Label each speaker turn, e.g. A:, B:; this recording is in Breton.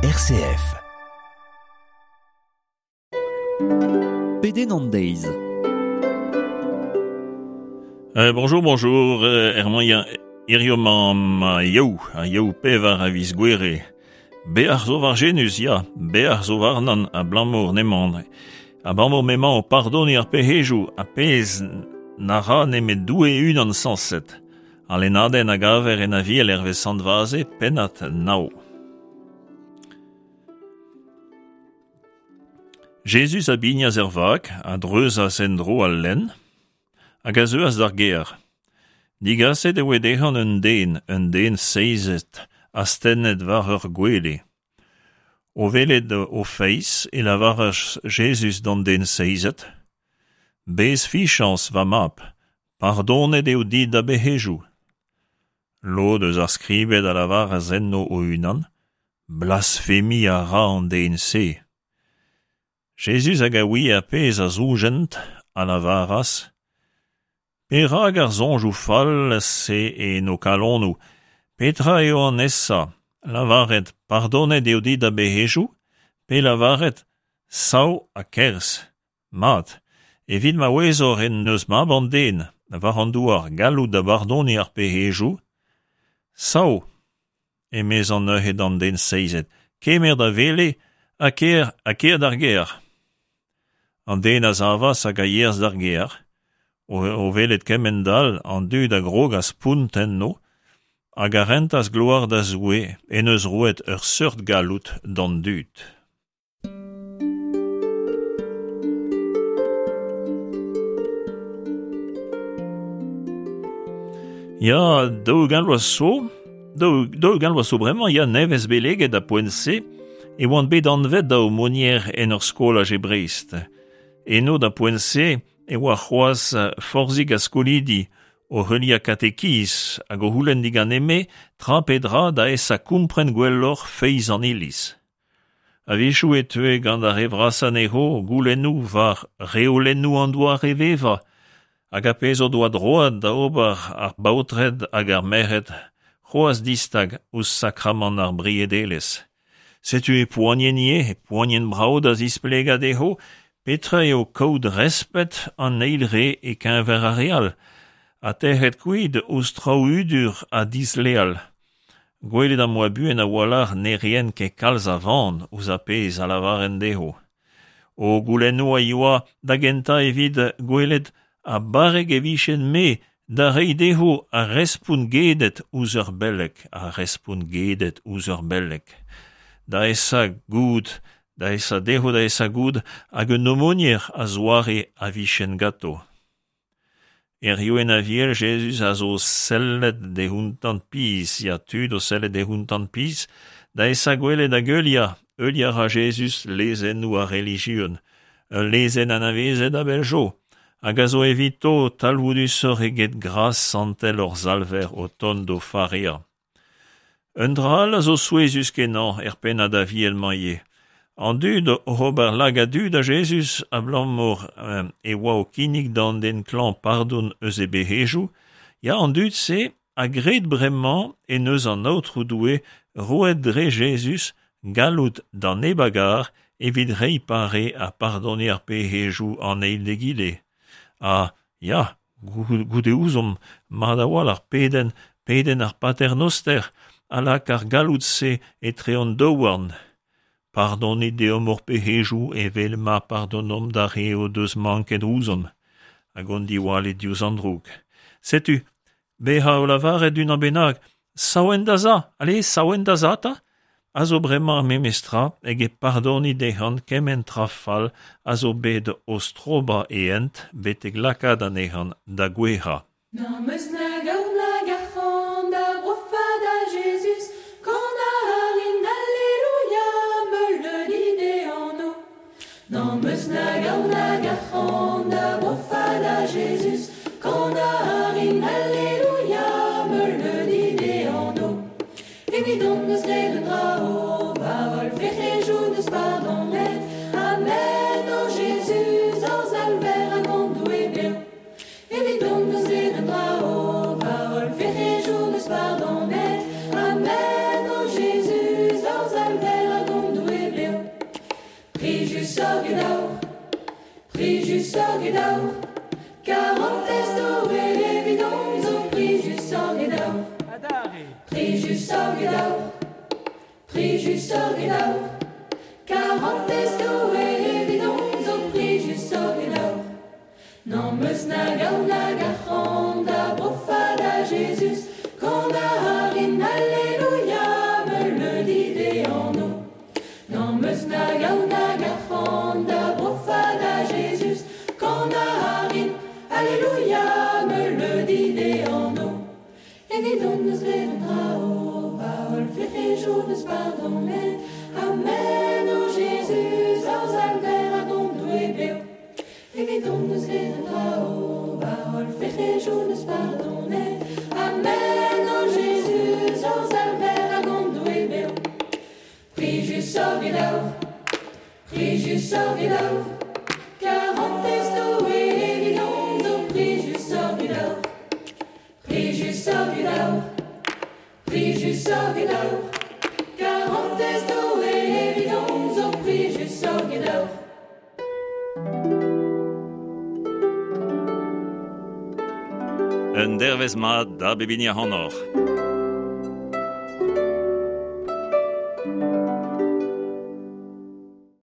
A: RCF.
B: Pedenn an deiz.
C: Bonjour, bonjour, er mañ hirio 'mañ ma yaou, ar yaou pevar a viz Gouere. Beac'h zo war Jenus, ya, beac'h zo warnan abalamour n'emañ. Abalamour m'emañ o pardoniñ ar pec'hejoù, ar pezh na ra nemet Doue e-unan sañset. Al lennadenn a gaver en Aviel hervez Sant Vaze, pennad nav. Jezuz a bignas er vag, a dreuzas en-dro al lenn, hag a zeuas d'ar gêr. Digaset e voe dezhañ un den, un den seizet, astennet war ur gwele. O welet o feiz e lavaras Jezuz d'an den seizet, Bez fichañs, va mab, Pardonet eo dit da bec'hejoù. Lod eus ar skribed a lavaras enno o-unan, Blasfemiñ a ra an den-se. Jezuz hag a ouie ar pezh a zoujent a lavaras, Perak ar soñjoù fall-se en ho kalonoù? Petra eo an aesañ, lavaret pardonet eo dit da bec'hejoù, pe lavaret sav ha kerzh? Mat, evit ma ouezoc'h en deus Mab an Den war an douar galloud da bardoniñ ar pec'hejoù, sav, emezañ neuze d'an den seizet, kemer da wele ha kêr ha kêr d'ar gêr. An den a savas hag a yeas d'ar gêr. O welet kement-all, an dud a grogas spont enno hag a rentas gloar da Zoue en deus roet ur seurt galloud d'an dud. Ya, 40 vloaz zo, 40 vloaz zo bremañ, ya, nevez beleget da poent-se, e oan bet anvet da aumônier en ur skolaj e Brest. Eno da poent-se e oa c'hoazh forzhik a skolidi o heuliañ katekiz hag o c'houlenn diganeme tra pe dra da esa kompren gwelloc'h feiz an Iliz. A-wechoù e teue gant ar re vrasañ anezho goulennoù war reolennoù an doare-vevañ hag ar pezh o doa droad da ober ar baotred hag ar merc'hed c'hoazh distag ouzh sakramant ar briedelezh. Setu e poanien ivez, e poanien brav da zisplegañ dezho petra eo kaout respet an eil re e-keñver ar re all ha tec'het kuit ouzh traoù hudur ha disleal. Gwelet am boa buan a-walc'h ne raent ket kalz a van ouzh ar pezh a lavaren dezho. O goulennoù a yoa da gentañ evit gwelet ha barrek e vijen-me da reiñ dezho ar respont gedet ouzh ur beleg, ar respont gedet ouzh ur beleg. Da esa goût, da esa dezho da esa goût hag un aumônier a-zoare a vijen ganto. Hiziv en Aviel Jezuz a zo sellet d'e c'hountant pizh, ya tud o sellet d'e c'hountant pizh, da esa gwelet hag heuliañ, heuliañ a ra Jezuz lezennoù ar relijion, ul lezenn anavezet a-bell zo, hag a zo evito talvoudusoc'h eget gras santel hor Salver o tont d'o fareañ. Un dra all a zo souezhus-kenañ er pennad Aviel-mañ ivez. An dud oc'h ober lagad-du da Jezuz abalamour e oa o kinnig d'an den klañv pardon eus e bec'hejoù, ya, an dud-se a gred bremañ en deus an Aotrou Doue roet dre Jezuz galloud d'an neb a gar evit reiñ pare ha pardoniñ ar pec'hejoù an eil d'egile. Ha, ya, goude ouzomp mat a-walc'h pedenn, pedenn ar Pater Noster a lak ar galloud-se etre hon daouarn. Pardonit deomp hor pec'hejoù evel ma pardonomp d'ar re o deus manket ouzhomp, hag hon diwallit diouzh an droug. Setu, Bezañ o lavaret d'unan bennak sav en da za, allez, sav en da za 'ta, a zo bremañ ar memes tra eget pardoniñ dezhañ kement tra fall a zo bet o strobañ e hent betek lakaat anezhañ da gouezhañ.
D: N'am eus nag aour nag arc'hant da brofañ da Jezuz, kanañ a rin Alleluia, meuleudi d'e anv. N'am eus nag aour nag arc'hant da brofañ da Jezuz, kanañ a rin Alleluia, meuleudi d'e anv. Evidon n'eus graet un dra o va holl fec'hejoù n'eus pardonet, Amen, o Jezuz, hor Salver hag hon Doue bev. Evidon n'eus graet un dra o va holl fec'hejoù n'eus pardonet, Amen, o Jezuz, hor Salver hag hon. Prijusoc'h get aour. Karantez Doue evidon zo prijusoc'h get aour. Prijusoc'h get aour. Prijusoc'h get aour. Karantez Doue evidon zo prijusoc'h get aour. N'am eus nag aour nag arc'hant da brofañ da Jezuz, Kanañ a rin Alleluia, meuleudi d'e anv. N'am eus nag aour nag arc'hant da brofañ da Jezuz, Kanañ a rin Alleluia, meuleudi d'e anv. Evidon 'neus graet an dra-o, va holl fec'hejoù 'neus pardonet. Amen, o Jezuz, hor Salver hag hon Doue bev. Evidon 'neus graet an dra-o, va holl fec'hejoù 'neus pardonet. Amen, o Jezuz, hor Salver hag hon Doue bev. Plijusoc'h get aour, plijusoc'h get aour, karantez Doue evidon zo plijusoc'h get aour. Plijusoc'h get aour, plijusoc'h get aour, karantez Doue evidon zo plijusoc'h get aour.
C: Un dervezh mat da bep hini ac'hanoc'h.